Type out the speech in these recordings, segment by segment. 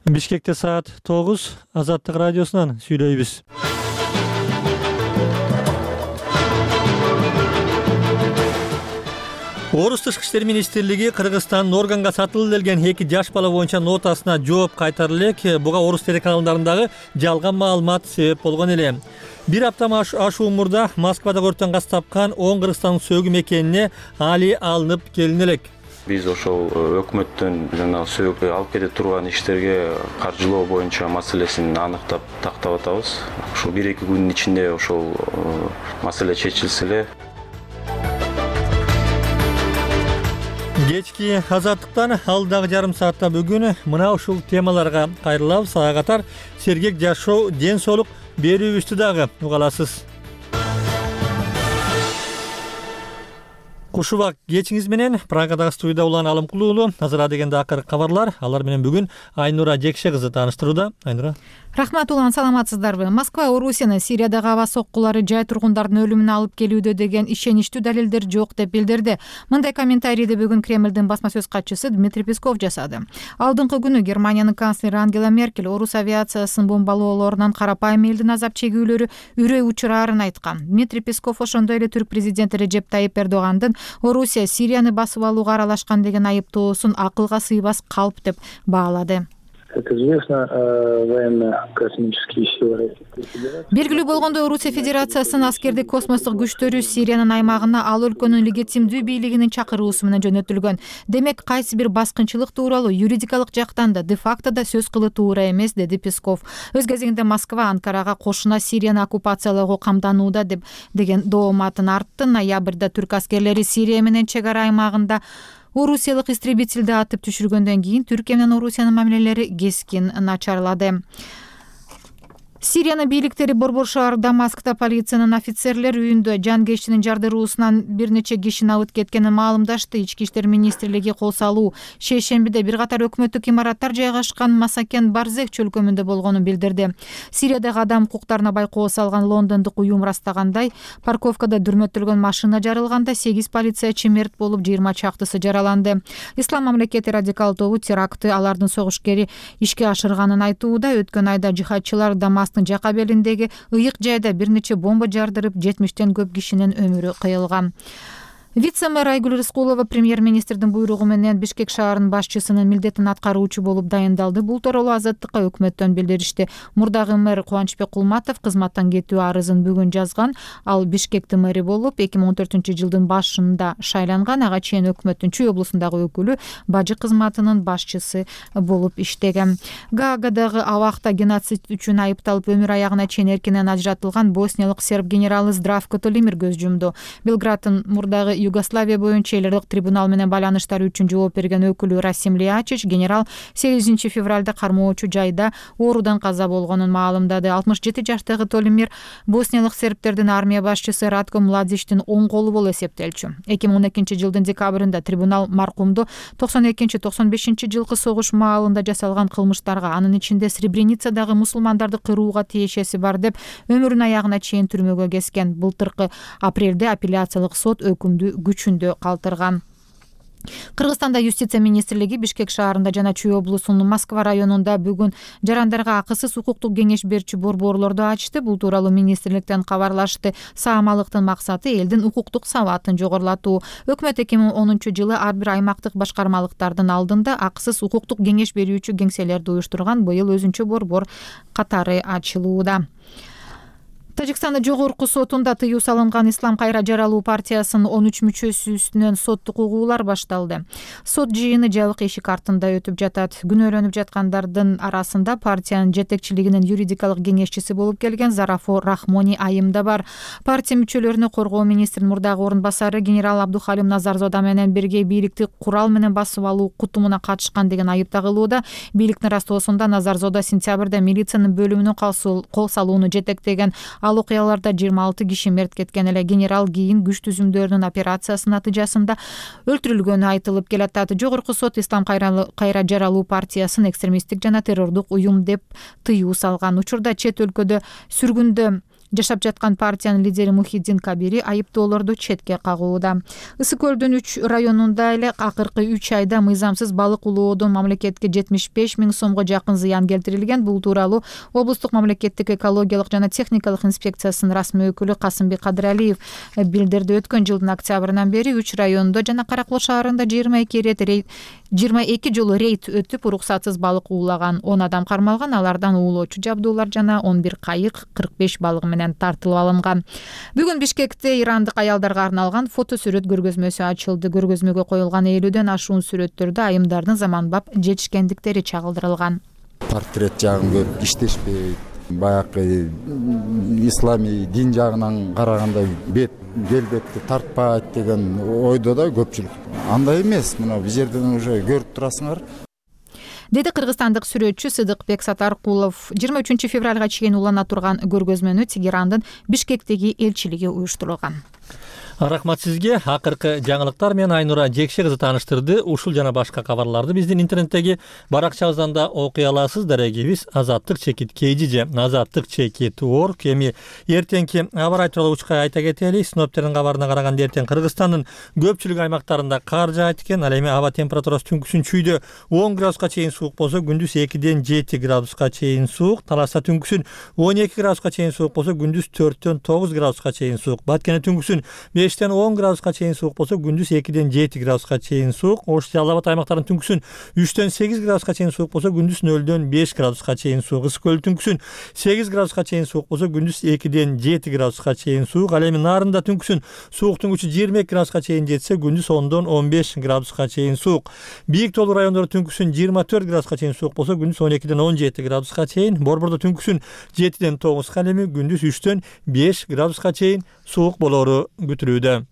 Бишкекте саат 9, Азаттык радиосунан сүйлөйбүз. Орус тышкы иштер министрлиги Кыргызстандын органга сатылып келген 2 жаш бала боюнча нотасына жооп кайтары элек. Буга орус телеканалдарындагы жалган маалымат себеп болгон эле. Бир апта ашуу мурда Москвада көртөн газ тапкан 10 Кыргызстандын сөөгү мекенине али алынып келин элек. Биз ошол өкмөттөн жана сөөгү алып кете турган иштерге каржылоо боюнча маселесин аныктап тактап атабыз. Ушул 1-2 күндүн ичинде ошол маселе чечилсе эле. Кечки Азаттыктан алдагы жарым саатта бүгүн мына ушул темаларга кайрылабыз. Ага катар сергек жашоо, ден соолук берүүбүздү дагы уга аласыз. Куш убак кечиңиз менен Прагадагы студияда Улан Алымкулуу уулу. Азыр дегенде акыркы кабарлар. Алар менен бүгүн Айнура Жекше кызы тааныштырууда. Айнура. Рахмат Улан, саламатсыздарбы? Москва Орусияны Сириядагы аба соккулары жай тургундардын өлүмүнө алып келүүдө деген ишеничтүү далилдер жок деп билдирди. Мындай комментарийди бүгүн Кремлдин басма сөз катчысы Дмитрий Песков жасады. Алдыңкы күнү Германиянын канцлери Ангела Меркель орус авиациясынын бомбалоолорунан карапайым элдин азап чегүүлөрү үрөй учурарын айткан. Дмитрий Песков ошондой эле түрк президенти Режеп Тайип Эрдогандын Орусия Сирияны басып алууга аралашкан деген айыптоосун акылга сыйбас калп деп баалады. Белгилүү болгондой, Орусия Федерациясынын аскердик космостук күчтөрү Сириянын аймагына ал өлкөнүн легитимдүү бийлигинин чакыруусу менен жөнөтүлгөн. Демек, кайсы бир баскынчылык тууралуу юридикалык жактан да, де-факто да сөз кылуу туура эмес, деди Песков. Өз кезегинде Москва Анкарага кошуна Сирияны оккупациялоого камданууда деген дооматын артты. Ноябрда түрк аскерлери Сирия менен чек ара аймагында орусиялык истребительди атып түшүргөндөн кийин Түркия менен Орусиянын мамилелери кескин начарлады. Сириянын бийликтери Борбор шаар Дамаскта полициянын офицерлер үйүндө жанкечтинин жардыруусунан бир нече кишини алып кеткенин маалымдашты. Ички иштер министрлиги кол салуу шейшембиде бир катар өкмөттүк имараттар жайгашкан Масакен Барзек чөлкөмүндө болгонун билдирди. Сириядагы адам укуктарына байкоо салган лондондук уюм ырастагандай, парковкада дүрмөттөлгөн машина жарылганда 8 полициячы мерт болуп, 20 чактысы жараланды. Ислам мамлекети радикал тобу терактты алардын согушкери ишке ашырганын айтууда. Өткөн айда жихадчылар Дамасктын жака белиндеги ыйык жайда бир нече бомба жардырып, 70тен көп кишинин өмүрү кыйылган. Вице-мэр Айгүл Рыскулова премьер-министрдин буйругу менен Бишкек шаарынын башчысынын милдетин аткаруучу болуп дайындалды. Бул тууралуу Азаттыкка өкмөттөн билдиришти. Мурдагы мэр Кубанычбек Кулматов кызматтан кетүү арызын бүгүн жазган. Ал Бишкектин мэри болуп 2014-жылдын башында шайланган. Ага чейин өкмөттүн Чүй облусундагы өкүлү, бажы кызматынын башчысы болуп иштеген. Гаагадагы абакта геноцид үчүн айыпталып өмүр аягына чейин эркинен ажыратылган босниялык серб генералы Здравко Толимир көз жумду. Белградтын мурдагы Югославия боюнча эл аралык трибунал менен байланыштар үчүн жооп берген өкүлү Расим Лиячич генерал 8 февралда кармоочу жайда оорудан каза болгонун маалымдады. 67 жаштагы Толимир босниялык сербтердин армия башчысы Ратко Младичтин оң колу болуп эсептелчү. 2012-жылдын декабрында трибунал маркумду 92-95 жылкы согуш маалында жасалган кылмыштарга, анын ичинде Сребреницадагы мусулмандарды кырууга тиешеси бар деп өмүрүнүн аягына чейин түрмөгө кескен. Былтыркы апрелде апелляциялык сот өкүмдү күчүндө калтырган. Кыргызстанда юстиция министрлиги Бишкек шаарында жана Чүй облусунун Москва районунда бүгүн жарандарга акысыз укуктук кеңеш берчү борборлорду ачты. Бул тууралуу министрликтен кабарлашты. Саамалыктын максаты элдин укуктук сабатын жогорулатуу. Өкмөт 2010-жылы ар бир аймактык башкармалыктардын алдында акысыз укуктук кеңеш берүүчү кеңселерди уюштурган. Быйыл өзүнчө борбор катары ачылууда. Тажикстандын жогорку сотунда тыюу салынган Ислам кайра жаралуу партиясынын 13 мүчөсү үстүнөн соттук угуулар башталды. Сот жыйыны жабык эшик артында өтүп жатат. Күнөөлөнүп жаткандардын арасында партиянын жетекчилигинин юридикалык кеңешчиси болуп келген Зарафо Рахмони айым да бар. Партия мүчөлөрүнө коргоо министринин мурдагы орун басары генерал Абдухалим Назарзода менен бирге бийликти курал менен басып алуу кутумуна катышкан деген айып тагылууда. Бийликтин растоосунда Назарзода сентябрда милициянын бөлүмүнө кол салууну жетектеген. Ал окуяларда 26 киши мерт кеткен эле. Генерал кийин күч түзүмдөрүнүн операциясынын натыйжасында өлтүрүлгөнү айтылып келатат. Жогорку сот Ислам кайра жаралуу партиясын экстремисттик жана террордук уюм деп тыюу салган. Учурда чет өлкөдө сүргүндө жашап жаткан партиянын лидери Мухиддин Кабири айыптоолорду четке кагууда. Ысык көлдүн 3 районунда эле акыркы 3 айда мыйзамсыз балык улоодон мамлекетке 75 000 сомго жакын зыян келтирилген. Бул тууралуу облустук мамлекеттик экологиялык жана техникалык инспекциясынын расмий өкүлү Касымбек Кадыралиев билдирди. Өткөн жылдын октябрынан бери 3 райондо жана Каракол шаарында 22 жолу рейд өтүп, уруксатсыз балык уулаган. 10 адам кармалган, алардан уулоочу жабдуулар жана 11 кайык, 45 балык менен тартылып алынган. Бүгүн Бишкекте ирандык аялдарга арналган фото сүрөт көргөзмөсү ачылды. Көргөзмөгө коюлган 50ден ашуун сүрөттөрдө айымдардын заманбап жетишкендиктери чагылдырылган. Портрет жагын көрүп иштешпейт. Баягы исламий дин жагынан караганда келбетти тартпайт деген ойдо да көпчүлүк. Андай эмес, мына бул жерден уже көрүп турасыңар. Деди кыргызстандык сүрөтчү Сыдыкбек Сатаркулов. 23 февралга чейин улана турган көргөзмөнү Тегерандын Бишкектеги элчилиги уюштурган. Рахмат сизге. Акыркы жаңылыктар менен Айнура Жекше кызы тааныштырды. Ушул жана башка кабарларды биздин интернеттеги баракчабыздан да окуй аласыз. Дарегибиз azattik.kg, azattik.org. Эми эртеңки аба ырайы тууралуу учка айта кетели. Синоптиктердин кабарына караганда эртең Кыргызстандын көпчүлүк аймактарында кар жаайт экен. Ал эми аба температурасы түнкүсүн чүйдө 10 градуска чейин суук болсо, күндүз 2ден 7 градуска чейин суук. Таласта түнкүсүн 12 градуска чейин суук болсо, күндүз 4ден 9 градуска чейин суук. Баткене түнкүсүн 5ден 10 градуска чейин суук болсо, күндүз 2ден 7 градуска чейин суук. Ош Жалал Абад аймактарынын түнкүсүн 3ден 8 градуска чейин суук болсо, күндүз 0ден 5 градуска чейин суук. Ысык көл түнкүсүн 8 градуска чейин суук болсо, күндүз 2ден 7 градуска чейин суук. Ал эми Нарында түнкүсүн сууктун күчү 22 градуска чейин жетсе, күндүз 10дон 15 градуска чейин суук. Бийик тоолуу райондордо түнкүсүн 24 градуска чейин суук болсо, күндүз 12ден 17 градуска чейин. Борбордо түнкүсүн 7ден 9, ал эми күндүз 3ден 5 градуска чейин суук болору күтүлүүдө.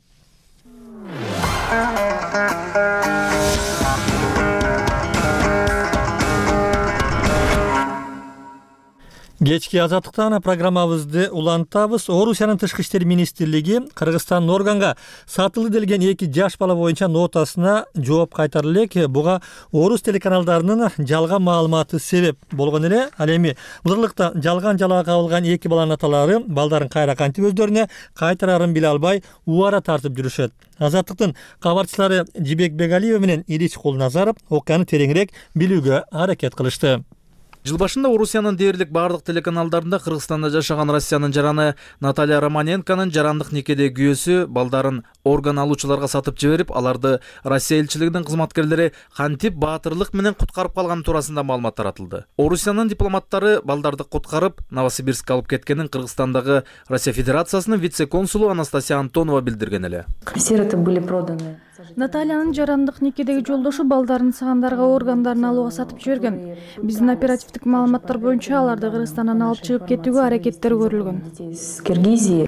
Кечки азаттыктан программабызды улантабыз. Орусиянын тышкы иштер министрлиги Кыргызстандын органга сатылды делген 2 жаш бала боюнча нотасына жооп кайтарды элек. Буга орус телеканалдарынын жалган маалыматы себеп болгон эле. Ал эми былтыркта жалган жалаа кабылган 2 баланын аталары балдарын кайра кантип өздөрүнө кайтарарын биле албай убара тартып жүрүшөт. Азаттыктын кабарчылары Жибек Бегалиева менен Илич Кулназаров окуяны тереңирээк билүүгө аракет кылышты. Жыл башында Орусиянын дээрлик бардык телеканалдарында Кыргызстанда жашаган Россиянын жараны Наталья Романенконун жарандык никедеги күйөөсү балдарын орган алуучуларга сатып жиберип, аларды Россия элчилигинин кызматкерлери кантип баатырлык менен куткарып калганы туурасында маалымат таратылды. Орусиянын дипломаттары балдарды куткарып Новосибирскке алып кеткенин Кыргызстандагы Россия Федерациясынын вице-консулу Анастасия Антонова билдирген эле. Сироты были проданы. Натальянын жарандык никедеги жолдошу балдарын сагандарга органдарын алууга сатып жиберген. Биздин оперативдик маалыматтар боюнча аларды Кыргызстандан алып чыгып кетүүгө аракеттер көрүлгөн.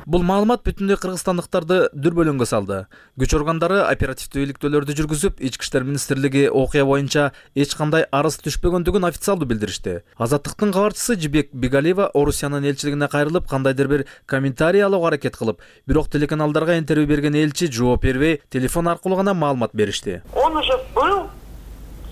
Бул маалымат бүтүндөй кыргызстандыктарды дүрбөлөңгө салды. Күч органдары оперативдүү иликтөөлөрдү жүргүзүп, Ички иштер министрлиги окуя боюнча эч кандай арыз түшпөгөндүгүн официалдуу билдиришти. Азаттыктын кабарчысы Жибек Бегалиева Орусиянын элчилигине кайрылып, кандайдыр бир комментарий алууга аракет кылып, бирок телеканалдарга интервью берген элчи жооп бербей, телефон аркылуу гана маалымат беришти. Он уже был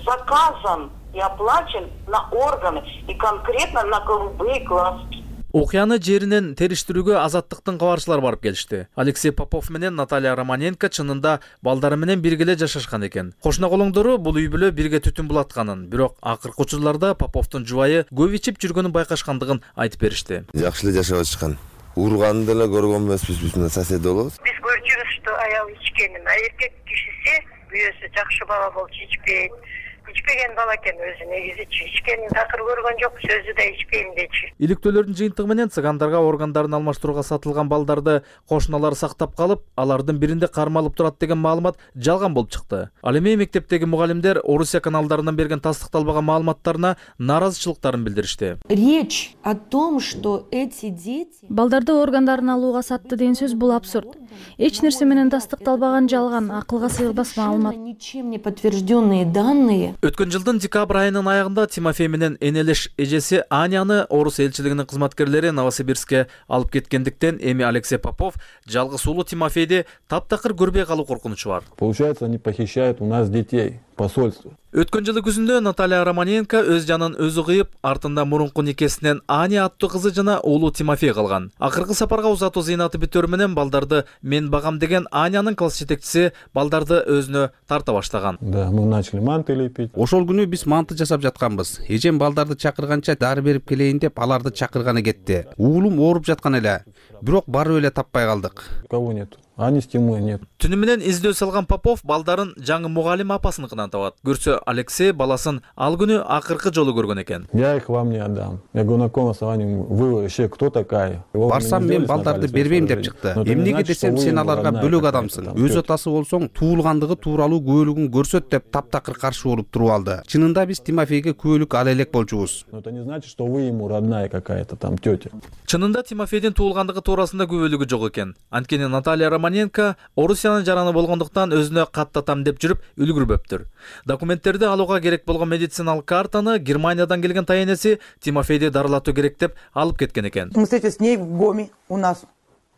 заказан и оплачен на органы и конкретно на голубые глазки. Окуяны жеринен териштирүүгө Азаттыктын кабарчылары барып келишти. Алексей Попов менен Наталья Романенко чынында балдары менен бирге эле жашашкан экен. Кошуна колоңдору бул үй бүлө бирге түтүн булатканын, бирок акыркы учурларда Поповдун жубайы көп ичип жүргөнүн байкашкандыгын айтып беришти. Жакшы эле жашап атышкан. Урганды деле көргөн эмеспиз, биз менен сосед болобуз. Биз көрчүбүз, что аял ичкенин, а эркек кишиси күйөөсү жакшы бала болчу, ичпейт. Ичпеген бала экен өзү негизи ичкенин такыр көргөн жок, сөзү да ичпейм дечи. Иликтөөлөрдүн жыйынтыгы менен цыгандарга органдарын алмаштырууга сатылган балдарды кошуналары сактап калып, алардын биринде кармалып турат деген маалымат жалган болуп чыкты. Ал эми мектептеги мугалимдер Орусия каналдарынан берген тастыкталбаган маалыматтарына нааразычылыктарын билдиришти. Речь о том, что эти дети Балдарды органдарын алууга сатты деген сөз бул абсурд. Эч нерсе менен тастыкталбаган жалган, акылга сыйбас маалымат. Ничем не подтвержденные данные. Өткөн жылдын декабрь айынын аягында Тимофей менен энелеш эжеси Аняны орус элчилигинин кызматкерлери Новосибирскке алып кеткендиктен эми Алексей Попов жалгыз уулу Тимофейди таптакыр көрбөй калуу коркунучу бар. Получается, они похищают у нас детей. Посольство. Өткөн жылы күзүндө Наталья Романенко өз жанын өзү кыйып, артында мурунку никесинен Аня аттуу кызы жана уулу Тимофей калган. Акыркы сапарга узатуу зыйнаты бүтөр менен балдарды мен багам деген Анянын класс жетекчиси балдарды өзүнө тарта баштаган. Да, мы начали манты лепить. Ошол күнү биз манты жасап жатканбыз. Эжем балдарды чакырганча дары берип келейин деп аларды чакырганы кетти. Уулум ооруп жаткан эле. Бирок барып эле таппай калдык. Кого нет? Ани с Тимой нет. Түнү менен издөө салган Попов балдарын жаңы мугалим апасыныкынан табат. Көрсө Алексей баласын ал күнү акыркы жолу көргөн экен. Я их вам не отдам. Я говорю, на каком основании вы вообще кто такая? Барсам мен балдарды бербейм деп чыкты. Эмнеге десем сен аларга бөлөк адамсың. Өз атасы болсоң туулгандыгы тууралуу күбөлүгүн көрсөт деп таптакыр каршы болуп туруп алды. Чынында биз Тимофейге күбөлүк ала элек болчубуз. Но это не значит, что вы ему родная какая-то там тетя. Чынында Тимофейдин туулгандыгы туурасында күбөлүгү жок экен. Анткени Наталья Романенко Орусиянын жараны болгондуктан өзүнө каттатам деп жүрүп үлгүрбөптүр. Документтерди алууга керек болгон медициналык картаны Германиядан келген тайенеси Тимофейди дарылатуу керек деп алып кеткен экен. Мы встретились с ней в ГОМе у нас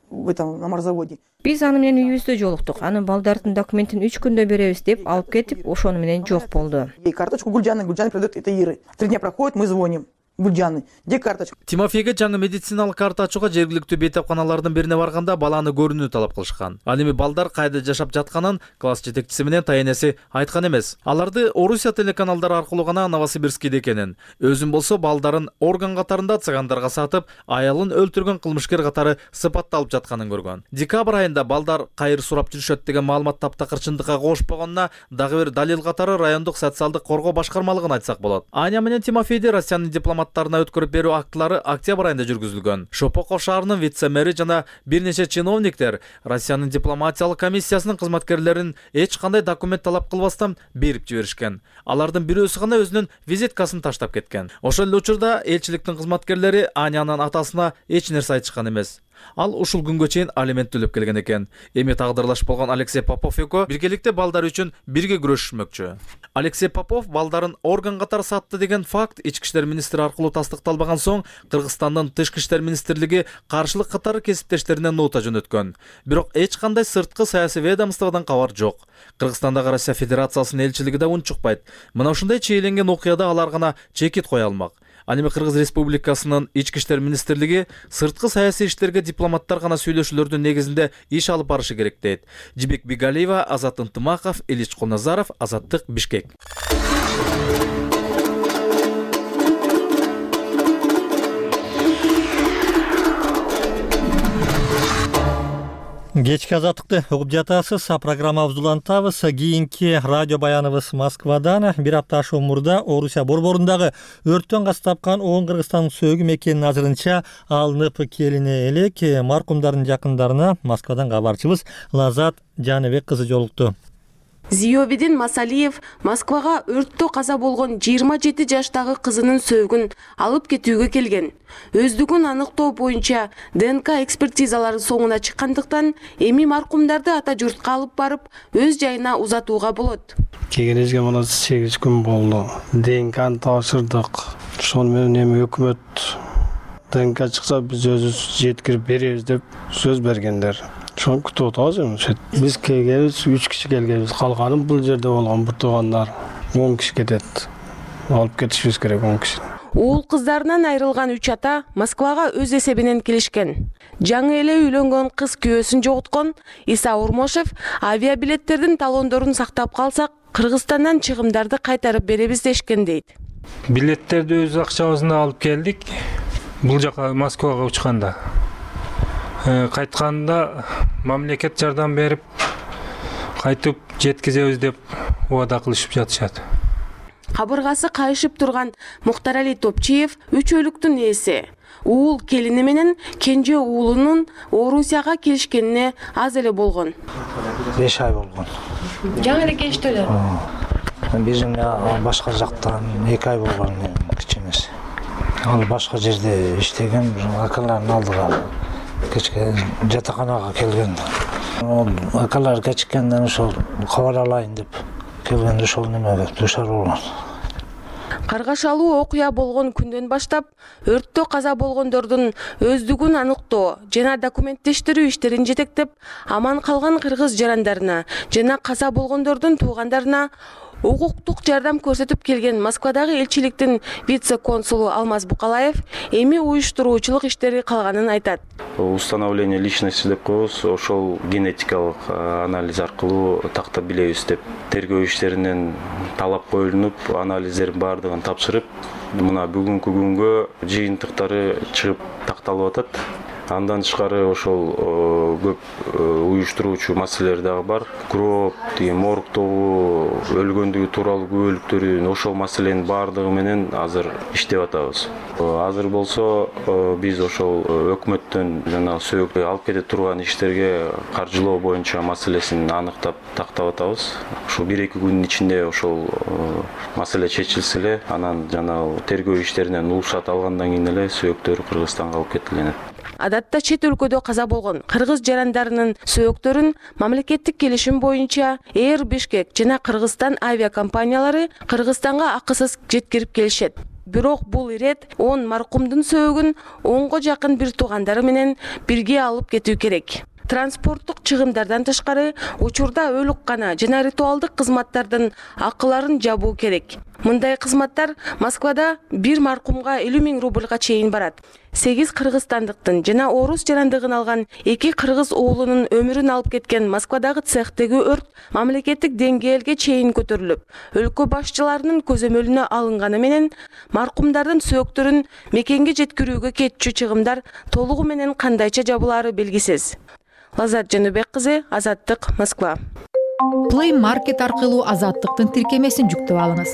в этом на морзаводе. Биз аны менен үйүбүздө жолуктук. Анын балдардын документин 3 күндө беребиз деп алып кетип, ошону менен жок болду. И карточку Гульжаны продает это Иры. 3 дня проходит, мы звоним. Гульжаны, где карточка? Тимофейге жаңы медициналык карта ачууга жергиликтүү бейтапканалардын бирине барганда баланы көрүүнү талап кылышкан. Ал эми балдар кайда жашап жатканын класс жетекчиси менен тайенеси айткан эмес. Аларды Орусия телеканалдары аркылуу гана Новосибирскийде экенин, өзүн болсо балдарын орган катарында цыгандарга сатып, аялын өлтүргөн кылмышкер катары сыпатталып жатканын көргөн. Декабрь айында балдар кайыр сурап жүрүшөт деген маалымат таптакыр чындыкка кошпогонуна дагы бир далил катары райондук социалдык коргоо башкармалыгын айтсак болот. Аня менен Тимофейди Россиянын дипломаттарына өткөрүп берүү актылары октябрь айында жүргүзүлгөн. Шопоков шаарынын вице-мэри жана бир нече чиновниктер Россиянын дипломатиялык комиссиясынын кызматкерлерин эч кандай документ талап кылбастан берип жиберишкен. Алардын бирөөсү гана өзүнүн визиткасын таштап кеткен. Ошол эле учурда элчиликтин кызматкерлери Анянын атасына эч нерсе айтышкан эмес. Ал ушул күнгө чейин алимент төлөп келген экен. Эми тагдырлаш болгон Алексей Попов экөө биргеликте балдар үчүн бирге күрөшмөкчү. Алексей Попов балдарын орган катары сатты деген факт ички иштер министри аркылуу тастыкталбаган соң Кыргызстандын тышкы иштер министрлиги каршылык катары кесиптештеринен нота жөнөткөн. Бирок эч кандай сырткы саясий ведомстводон кабар жок. Кыргызстандагы Россия Федерациясынын элчилиги да унчукпайт. Мына ушундай чейленген окуяда алар гана чекит кое алмак. Ал эми Кыргыз Республикасынын ички иштер министрлиги сырткы саясий иштерге дипломаттар гана сүйлөшүүлөрдүн негизинде иш алып барышы керек дейт. Жибек Бигалиева, Азат Ынтымаков, Ильич Кулназаров, Азаттык, Бишкек. Кечки азаттыкты угуп жатасыз. Программабызды улантабыз. Кийинки радио баяныбыз Москвадан. Бир апта ашуун мурда Орусия борборундагы өрттөн каз тапкан 10 Кыргызстандын сөөгү мекенинин азырынча алынып келине элек. Маркумдардын жакындарына Москвадан кабарчыбыз Лазат Жаныбек кызы жолукту. Зиёбидин Масалиев Москвага өрттө каза болгон 27 жаштагы кызынын сөөгүн алып кетүүгө келген. Өздүгүн аныктоо боюнча ДНК экспертизалары соңуна чыккандыктан эми маркумдарды ата журтка алып барып өз жайына узатууга болот. Келгенибизге мына 8 күн болду. ДНКны тапшырдык. Ошону менен эми өкмөт ДНК чыкса биз өзүбүз жеткирип беребиз деп сөз бергендер. Шон күтүп атабыз эми. Биз келгенбиз 3 киши келгенбиз. Калганы бул жерде болгон бир туугандар 10 киши кетет. Алып кетишибиз керек 10 киши. Уул кыздарынан айрылган 3 ата Москвага өз эсебинен келишкен. Жаңы эле үйлөнгөн кыз күйөөсүн жоготкон Иса Урмошев авиабилеттердин талондорун сактап калсак, Кыргызстандан чыгымдарды кайтарып беребиз дешкен дейт. Билеттерди өз акчабыздан алып келдик. Бул жака Москвага учканда. Кайтканда мамлекет жардам берип, кайтып жеткизебиз деп убада кылышып жатышат. Кабыргасы кайышып турган Мухтарали Топчиев үчөлүктүн ээси. Уул келини менен кенже уулунун Орусияга келишкенине аз эле болгон. 5 ай болгон. Жаңы эле келиштилер. Биздин башка жактан 2 ай болгон кичинеси. Ал башка жерде иштеген, акалардын алдыга кечке жатаканага келген. Акалар кечиккенден ошол кабар алайын деп келгенде ошол немеге душар болгон. Каргашалуу окуя болгон күндөн баштап өрттө каза болгондордун өздүгүн аныктоо жана документтештирүү иштерин жетектеп, аман калган кыргыз жарандарына жана каза болгондордун туугандарына укуктук жардам көрсөтүп келген Москвадагы элчиликтин вице-консулу Алмаз Букалаев эми уюштуруучулук иштери калганын айтат. Установление личности деп коебуз, ошол генетикалык анализ аркылуу тактап билебиз деп тергөө иштеринен талап коюлуп, анализдердин баардыгын тапшырып, мына бүгүнкү күнгө жыйынтыктары чыгып такталып атат. Андан тышкары ошол көп уюштуруучу маселелер дагы бар. Гроб, моргдогу өлгөндүгү тууралуу күбөлүктөрүн ошол маселенин баардыгы менен азыр иштеп атабыз. Азыр болсо биз ошол өкмөттөн жана сөөгү алып кете турган иштерге каржылоо боюнча маселесин аныктап тактап атабыз. Ушул 1-2 күндүн ичинде ошол маселе чечилсе эле, анан жана тергөө иштеринен уруксат алгандан кийин эле сөөктөр Кыргызстанга алып кетилет. Адатта чет өлкөдө каза болгон кыргыз жарандарынын сөөктөрүн мамлекеттик келишим боюнча Air Bishkek жана Кыргызстан авиакомпаниялары Кыргызстанга акысыз жеткирип келишет. Бирок бул ирет 10 маркумдун сөөгүн 10го жакын бир туугандары менен бирге алып кетүү керек. Транспорттук чыгымдардан тышкары учурда өлүккана жана ритуалдык кызматтардын акыларын жабуу керек. Мындай кызматтар Москвада бир маркумга 50 000 рубльга чейин барат. 8 кыргызстандыктын жана орус жарандыгын алган 2 кыргыз уулунун өмүрүн алып кеткен Москвадагы цехтеги өрт мамлекеттик деңгээлге чейин көтөрүлүп, өлкө башчыларынын көзөмөлүнө алынганы менен маркумдардын сөөктөрүн мекенге жеткирүүгө кетчү чыгымдар толугу менен кандайча жабылаары белгисиз. Лазат Жаныбек кызы, Азаттык, Москва. Play Market аркылуу Азаттыктын тиркемесин жүктөп алыңыз.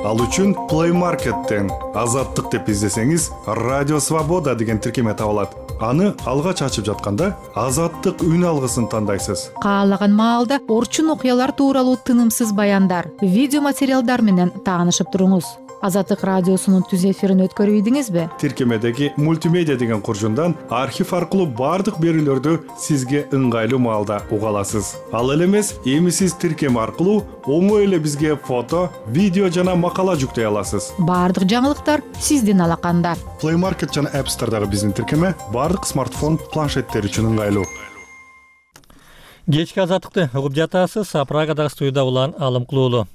Ал үчүн Play Market'тен Азаттык деп издесеңиз, Радио Свобода деген тиркеме табылат. Аны алгач ачып жатканда Азаттык үн алгысын тандайсыз. Каалаган маалда орчун окуялар тууралуу тынымсыз баяндар, видео материалдар менен таанышып туруңуз. Азаттык радиосунун түз эфирин өткөрүп ийдиңизби? Тиркемедеги мультимедиа деген куржундан архив аркылуу бардык берүүлөрдү сизге ыңгайлуу маалда уга аласыз. Ал эле эмес, эми сиз тиркеме аркылуу оңой эле бизге фото, видео жана макала жүктөй аласыз. Бардык жаңылыктар сиздин алаканда. Play Market жана App Store'дагы биздин тиркеме бардык смартфон, планшеттер үчүн ыңгайлуу. Кечки Азаттыкты угуп жатасыз. Прагадагы студияда улан Алым Кулуулу.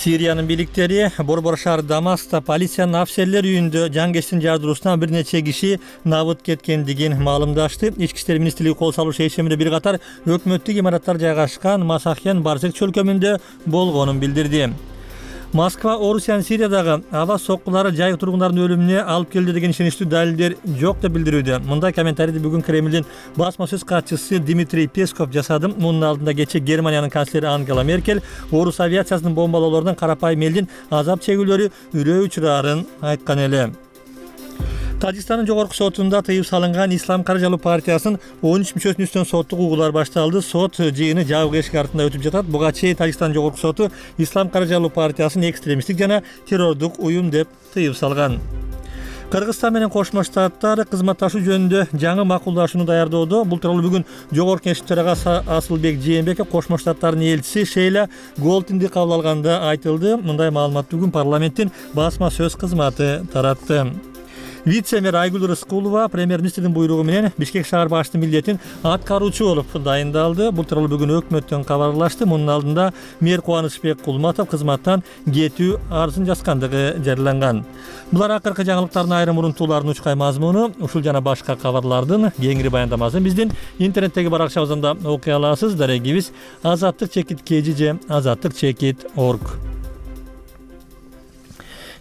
Сириянын бийликтери Борбор шаар Дамаскта полициянын офицерлер үйүндө жангечтин жардыруусунан бир нече киши набыт кеткендигин маалымдашты. Ички иштер министрлиги кол салуу шешимине бир катар өкмөттүк имараттар жайгашкан Масахен Барзек чөлкөмүндө болгонун билдирди. Москва Орусиянын Сириядагы аба соккулары жай тургундардын өлүмүнө алып келди деген ишеничтүү далилдер жок деп билдирүүдө. Мындай комментарийди бүгүн Кремлдин басма сөз катчысы Дмитрий Песков жасады. Мунун алдында кечээ Германиянын канцлери Ангела Меркель орус авиациясынын бомбалоолорунан карапайым элдин азап чегүүлөрү үрөө учурарын айткан эле. Тажикстандын жогорку сотунда тыюу салынган Ислам Каражалуу партиясынын 13 мүчөсүнүн үстүнөн соттук угуулар башталды. Сот жыйыны жабык эшик артында өтүп жатат. Буга чейин Тажикстандын жогорку соту Ислам Каражалуу партиясын экстремисттик жана террордук уюм деп тыюу салган. Кыргызстан менен Кошмо Штаттар кызматташуу жөнүндө жаңы макулдашууну даярдоодо. Бул тууралуу бүгүн Жогорку Кеңештин төрагасы Асылбек Жээнбеков Кошмо Штаттардын элчиси Шейла Голтинди кабыл алганда айтылды. Мындай маалымат бүгүн парламенттин басма сөз кызматы таратты. Вице-мэр Айгүл Рыскулова премьер-министрдин буйругу менен Бишкек шаар башчысынын милдетин аткаруучу болуп дайындалды. Бул тууралуу бүгүн өкмөттөн кабарлашты. Мунун алдында мэр Кубанычбек Кулматов кызматтан кетүү арызын жазгандыгы жарыяланган. Булар акыркы жаңылыктардын айрым урунтууларынын учкай мазмуну. Ушул жана башка кабарлардын кеңири баяндамасын биздин интернеттеги баракчабызда окуй аласыз. Дарегибиз azattik.kg azattik.org.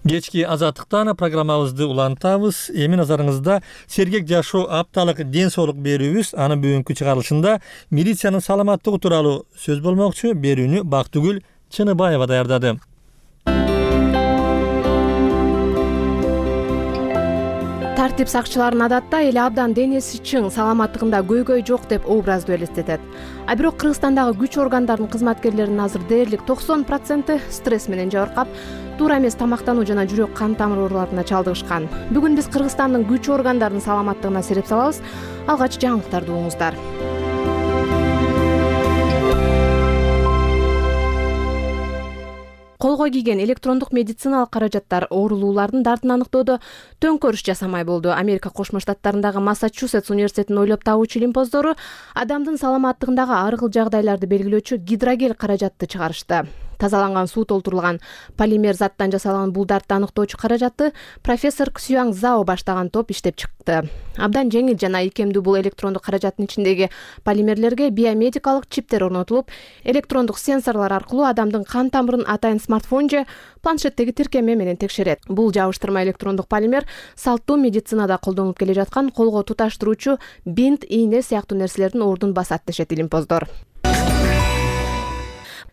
Кечки Азаттыктан программабызды улантабыз. Эми назарыңызда сергек жашоо апталык ден соолук берүүбүз. Анын бүгүнкү чыгарылышында милициянын саламаттыгы тууралуу сөз болмокчу. Берүүнү Бактыгүл Чыныбаева даярдады. Тартип сакчыларын адатта эл абдан денеси чың, саламаттыгында көйгөй жок деп образды элестетет. А бирок Кыргызстандагы күч органдарынын кызматкерлеринин азыр дээрлик 90% стресс менен жабыркап, туура эмес тамактануу жана жүрөк кан тамыр ооруларына чалдыгышкан. Бүгүн биз Кыргызстандын күч органдарынын саламаттыгына сереп салабыз. Алгач жаңылыктарды угуңуздар. Колго кийген электрондук медициналык каражаттар оорулуулардын дартын аныктоодо төңкөрүш жасамай болду. Америка Кошмо Штаттарындагы Массачусетс университетинин ойлоп табуучу илимпоздору адамдын саламаттыгындагы ар кыл жагдайларды белгилөөчү гидрогел каражатты чыгарышты. Тазаланган суу толтурулган полимер заттан жасалган бул дартты аныктоочу каражатты профессор Ксюанг Зао баштаган топ иштеп чыкты. Абдан жеңил жана ийкемдүү бул электрондук каражаттын ичиндеги полимерлерге биомедикалык чиптер орнотулуп, электрондук сенсорлор аркылуу адамдын кан тамырын атайын смартфон же планшеттеги тиркеме менен текшерет. Бул жабыштырма электрондук полимер салттуу медицинада колдонулуп келе жаткан колго туташтыруучу бинт, ийне сыяктуу нерселердин ордун басат дешет илимпоздор.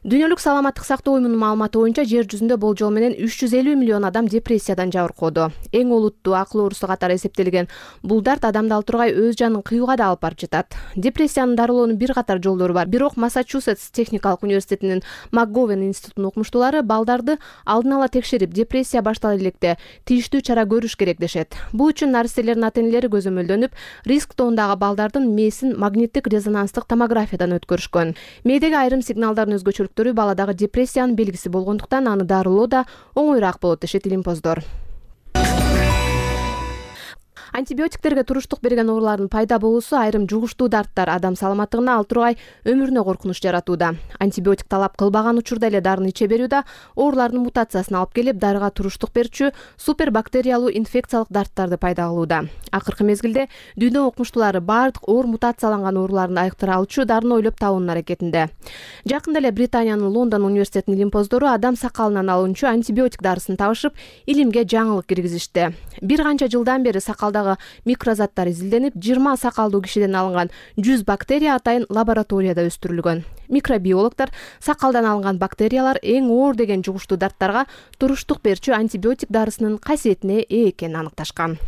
Дүйнөлүк саламаттык сактоо уюмунун маалыматы боюнча жер жүзүндө болжол менен 350 миллион адам депрессиядан жабыркоодо. Эң олуттуу акыл оорусу катары эсептелген бул дарт адамды ал тургай өз жанын кыюуга да алып барып жатат. Депрессияны дарылоонун бир катар жолдору бар. Бирок Массачусетс техникалык университетинин МакГовен институтунун окумуштуулары балдарды алдын ала текшерип, депрессия баштала электе тийиштүү чара көрүш керек дешет. Бул үчүн наристелердин ата-энелери көзөмөлдөнүп, риск тоондагы балдардын мээсин магниттик резонанстык томографиядан өткөрүшкөн. Мээдеги айрым сигналдардын өзгөчөлүктөрү баладагы депрессиянын белгиси болгондуктан аны дарылоо да оңоюраак болот дешет илимпоздор. Антибиотиктерге туруштук берген оорулардын пайда болуусу айрым жугуштуу дарттар адам саламаттыгына ал тургай өмүрүнө коркунуч жаратууда. Антибиотик талап кылбаган учурда эле дарыны иче берүү да оорулардын мутациясына алып келип, дарыга туруштук берүүчү супербактериялуу инфекциялык дарттарды пайда кылууда. Акыркы мезгилде дүйнө окумуштуулары бардык оор мутацияланган ооруларды айыктыра алчу дарыны ойлоп табуунун аракетинде. Жакында эле Британиянын Лондон университетинин илимпоздору адам сакалынан алынчу антибиотик дарысын табышып, илимге жаңылык киргизишти. Бир канча жылдан бери сакалда микрозаттар изилденип, 20 сакалдуу кишиден алынган 100 бактерия атайын лабораторияда өстүрүлгөн. Микробиологдор сакалдан алынган бактериялар эң оор деген жугуштуу дарттарга туруштук берүүчү антибиотик дарысынын касиетине ээ экенин аныкташкан.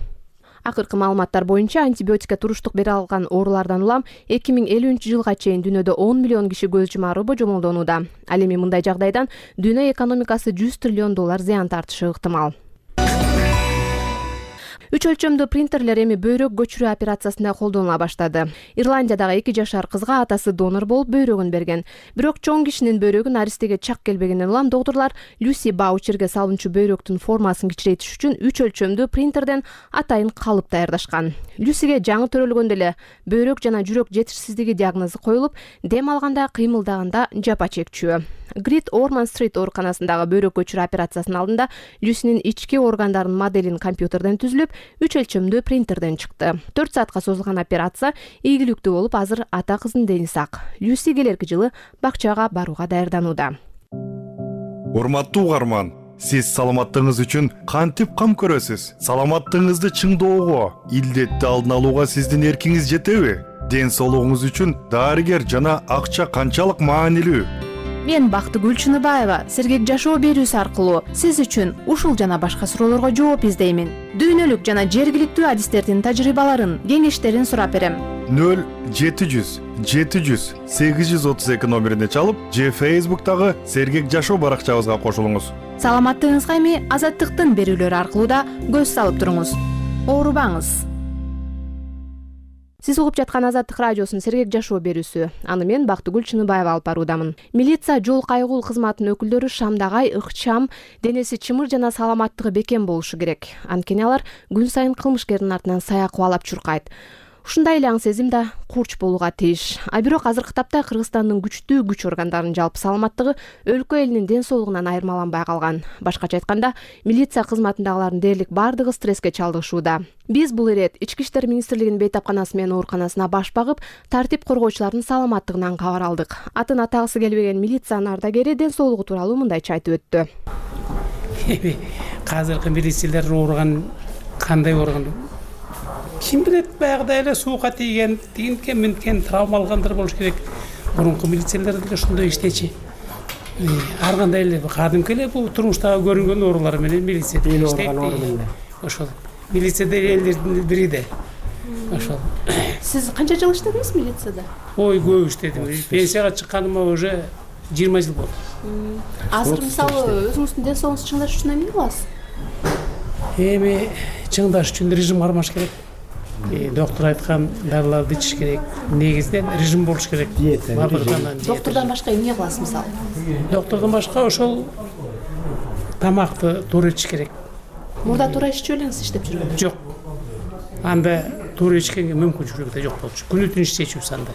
Акыркы маалыматтар боюнча антибиотикке туруштук бере алган оорулардан улам 2050-жылга чейин дүйнөдө 10 миллион киши көз жумары божомолдонууда. Ал эми мындай жагдайдан дүйнө экономикасы $100 триллион зыян тартышы ыктымал. Үч өлчөмдүү принтерлер эми бөйрөк көчүрүү операциясында колдонула баштады. Ирландиядагы 2 жашар кызга атасы донор болуп бөйрөгүн берген. Бирок чоң кишинин бөйрөгү наристеге чак келбегенден улам доктурлар Люси Баучерге салынчу бөйрөктүн формасын кичирейтиш үчүн 3 өлчөмдүү принтерден атайын калып даярдашкан. Люсиге жаңы төрөлгөндө эле бөйрөк жана жүрөк жетишсиздиги диагнозу коюлуп, дем алганда, кыймылдаганда жапа чекчү. Грит Орман Стрит ооруканасындагы бөйрөк көчүрүү операциясынын алдында Люсинин ички органдарынын моделин компьютерден түзүлүп, 3 өлчөмдүү принтерден чыкты. 4 саатка созулган операция ийгиликтүү болуп, азыр ата кыздын дени сак. Люси келерки жылы бакчага барууга даярданууда. Урматтуу угарман, сиз саламаттыгыңыз үчүн кантип кам көрөсүз? Саламаттыгыңызды чыңдоого, илдетти алдын алууга сиздин эркиңиз жетеби? Ден соолугуңуз үчүн дарыгер жана акча канчалык маанилүү? Мен Бактыгүл Чыныбаева сергек жашоо берүүсү аркылуу сиз үчүн ушул жана башка суроолорго жооп издеймин. Дүйнөлүк жана жергиликтүү адистердин тажрыйбаларын, кеңештерин сурап берем. 0700 700 832 номерине чалып, же Facebook'тагы сергек жашоо баракчабызга кошулуңуз. Саламаттыгыңызга эми Азаттыктын берүүлөрү аркылуу да көз салып туруңуз. Оорубаңыз. Сиз угуп жаткан Азаттык радиосунун сергек жашоо берүүсү. Аны мен Бактыгүл Чыныбаева алып баруудамын. Милиция жол кайгул кызматынын өкүлдөрү шамдагай, ыкчам, денеси чымыр жана саламаттыгы бекем болушу керек. Анткени алар күн сайын кылмышкердин артынан сая кубалап чуркайт. Ушундай эле аң сезим да курч болууга тийиш. А бирок азыркы тапта Кыргызстандын күчтүү күч органдарынын жалпы саламаттыгы өлкө элинин ден соолугунан айырмаланбай калган. Башкача айтканда, милиция кызматындагылардын дээрлик бардыгы стресске чалдыгышууда. Биз бул ирет Ички иштер министрлигинин бейтапканасы менен ооруканасына баш багып, тартип коргоочулардын саламаттыгынан кабар алдык. Атын атагысы келбеген милициянын ардагери ден соолугу тууралуу мындайча айтып өттү. Азыркы милициялар ооруган кандай ооруган? Ким билет, баягыдай эле суукка тийген, тигинткен минткен травма алгандар болуш керек. Мурунку милициялар деле ошондой иштечи. Ар кандай эле кадимки эле бул турмуштагы көрүнгөн оорулар менен милицияда иштейт. Ошол. Милицияда элдердин бири да. Ошол. Сиз канча жыл иштедиңиз милицияда? Ой, көп иштедим. Пенсияга чыкканыма уже 20 жыл болду. Азыр мисалы өзүңүздүн ден соолугуңузду чыңдаш үчүн эмне кыласыз? Эми чыңдаш үчүн режим кармаш керек. Доктор айткан дарыларды ичиш керек. Негизинен режим болуш керек. Доктордон башка эмне кыласыз мисалы? Доктордон башка ошол тамакты туура ичиш керек. Мурда туура иччү белеңиз иштеп жүргөндө? Жок. Анда туура ичкенге мүмкүнчүлүгү да жок болчу. Күнү түнү иштечүбүз анда.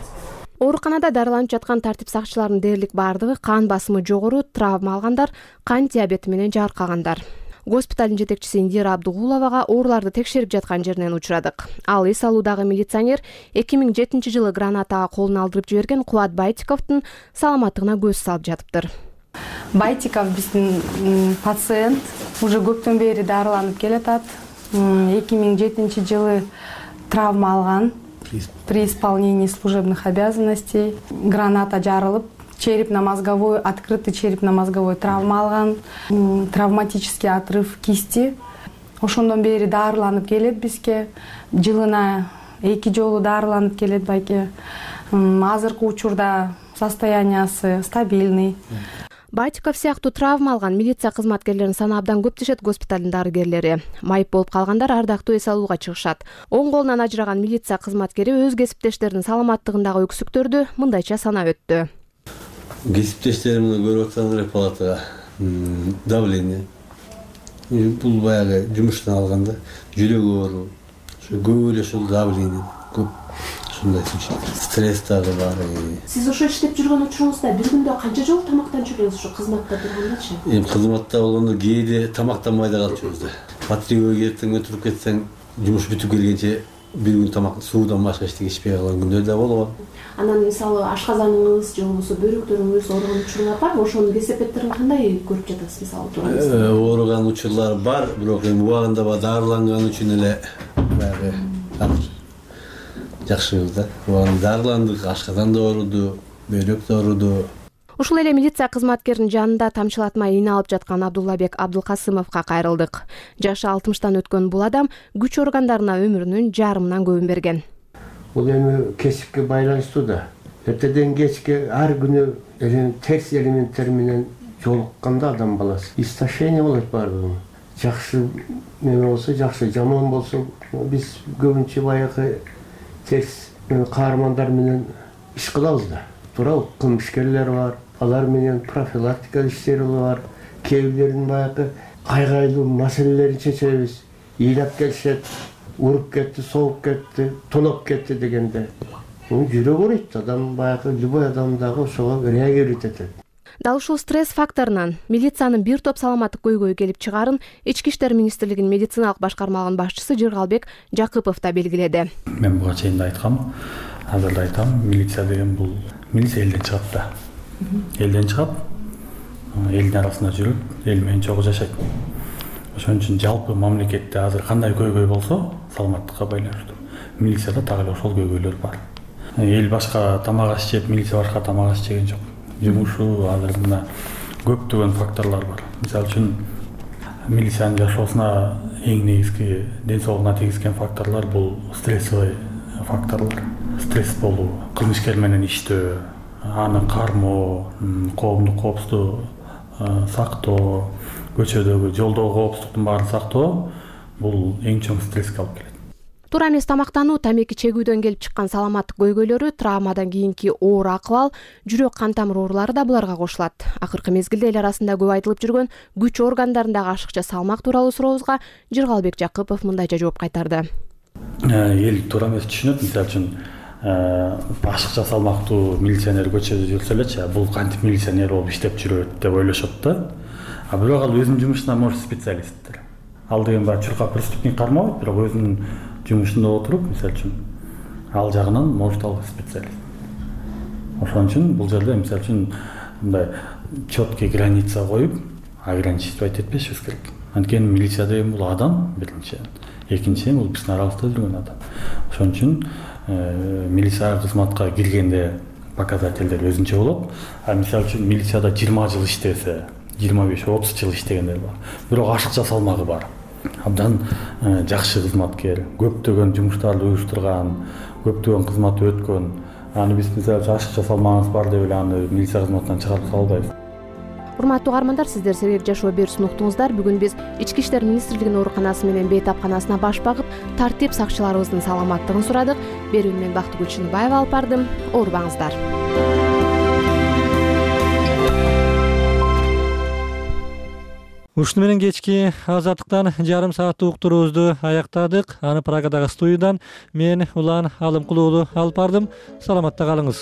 Ооруканада дарыланып жаткан тартип сакчыларынын дээрлик бардыгы кан басымы жогору, травма алгандар, кан диабети менен жааркагандар. Госпиталдын жетекчиси Индира Абдугуловага ооруларды текшерип жаткан жеринен учурадык. Ал эс алуудагы милиционер 2007-жылы гранатага колун алдырып жиберген Кубат Байтиковдун саламаттыгына көз салып жатыптыр. Байтиков биздин пациент уже көптөн бери дарыланып келатат. 2007-жылы травма алган при исполнении служебных обязанностей. Граната жарылып, черепно-мозговой, открытый черепно-мозговой травма алган, травматический отрыв кисти. Ошондон бери дарыланып келет бизге. Жылына 2 жолу дарыланып келет байке. Азыркы учурда состояниясы стабильный. Байтиков сыяктуу травма алган милиция кызматкерлеринин саны абдан көп дешет госпиталдын дарыгерлери. Майып болуп калгандар ардактуу эс алууга чыгышат. Оң колунан ажыраган милиция кызматкери өз кесиптештеринин саламаттыгындагы өксүктөрдү мындайча санап өттү. Кесиптештеримди көрүп атсаңдар палатага давление. Бул баягы жумуштан алганда жүрөгү оору, көп эле ушул давление көп. Стресс дагы бар. Сиз ошо иштеп жүргөн учуруңузда бир күндө канча жолу тамактанып жүрөсүз ошо кызматта тургандачы? Кызматта болгондо кээде тамактанбай да калып жүрөбүз. Патрульга эртең туруп кетсең, жумуш бүтүп келгенче бир күн тамак суудан башка эчтеке ичпей калган күндөр да болгон. Анан мисалы ашказаныңыз же болбосо бөйрөктөрүңүз ооруган учурлар барбы? Ошонун кесепеттерин кандай көрүп жатасыз мисалы турганда? Ооруган учурлар бар, бирок убагында дарыланган үчүн эле баягы жакшыбыз да. Дарыландык, ашказан да ооруду, бөйрөк да ооруду. Ушул эле милиция кызматкеринин жанында тамчылатмай ийне алып жаткан Абдуллабек Абдулкасымовго кайрылдык. Жашы 60-тан өткөн бул адам күч органдарына өмүрүнүн жарымынан көбүн берген. Бул эми кесипке байланыштуу да. Эртеден кечке ар күнү терс элементтер менен жолукканда адам баласы истощение болот баардыгы. Жакшы неме болсо жакшы, жаман болсо биз көбүнчө баягы терс каармандар менен иш кылабыз да. Туурабы? Кылмышкерлер бар, алар менен профилактика иштери бар. Кээ бирлерин баягы айгайлуу маселелерин чечебиз. Ыйлап келишет, уруп кетти, согуп кетти, тоноп кетти дегенде. Жүрөгү ооруйт, адам баягы любой адам дагы ошого реагировать этет. Дал ушул стресс факторунан милициянын бир топ саламаттык көйгөй келип чыгарын Ички иштер министрлигинин медициналык башкармалыгынын башчысы Жыргалбек Жакыпов да белгиледи. Мен буга чейин да айткам, азыр да айтам, милиция деген бул милиция элден чыгат да. Элден чыгат, элдин арасында жүрөт, эл менен чогуу жашайт. Ошон үчүн жалпы мамлекетте азыр кандай көйгөй болсо, саламаттыкка байланыштуу. Милицияда так эле ошол көйгөйлөр бар. Эл башка тамак аш жеп, милиция башка тамак аш жеген жок. Жумушу азыр мына көптөгөн факторлор бар. Мисалы үчүн милициянын жашоосуна эң негизги ден соолугуна тийгизген факторлор бул стрессовый факторлор. Стресс болуу, кылмышкер менен иштөө, аны кармоо, коомдук коопсуздук сактоо, көчөдөгү жолдогу коопсуздуктун баарын сактоо бул эң чоң стресске алып келет. Туура эмес тамактануу, тамеки чегүүдөн келип чыккан саламаттык көйгөйлөрү, травмадан кийинки оор акыбал, жүрөк кан тамыр оорулары да буларга кошулат. Акыркы мезгилде эл арасында көп айтылып жүргөн күч органдарындагы ашыкча салмак тууралуу сурообузга Жыргалбек Жакыпов мындайча жооп кайтарды. Эл туура эмес түшүнөт, мисалы үчүн ашыкча салмактуу милиционер көчөдө жүрсө элечи, бул кантип милиционер болуп иштеп жүрөт деп ойлошот да. А бирок ал өзүнүн жумушуна может специалисттер. Ал деген баягы чуркап преступник кармабайт, бирок өзүнүн жумушунда отуруп, мисалы үчүн ал жагынан может ал специалист. Ошон үчүн бул жерде мисалы үчүн мындай четкий граница коюп, ограничивать этпешибиз керек. Анткени милиция деген бул адам, биринчи. Экинчи, бул биздин арабызда жүргөн адам. Ошон үчүн милиция кызматка киргенде показательдер өзүнчө болот. А мисалы үчүн милицияда 20 жыл иштесе, 25-30 жыл иштегендер бар. Бирок ашыкча салмагы бар. Абдан жакшы кызматкер, көптөгөн жумуштарды уюштурган, көптөгөн кызмат өткөн. Аны биз мисалы ашыкча салмагыбыз бар деп эле аны милиция кызматынан чыгарып сала албайбыз. Урматтуу каармандар, сиздер Сергек жашоо берүүсүн уктуңуздар. Бүгүн биз Ички иштер министрлигинин ооруканасы менен бейтапканасына баш багып, тартип сакчыларыбыздын саламаттыгын сурадык. Берүүнү мен Бактыгүл Чыныбаева алып бардым. Оорубаңыздар. Ушуну менен кечки азаттыктан жарым сааттык уктуруубузду аяктадык. Аны Прагадагы студиядан мен Улан Алымкулуулу алып бардым. Саламатта калыңыз.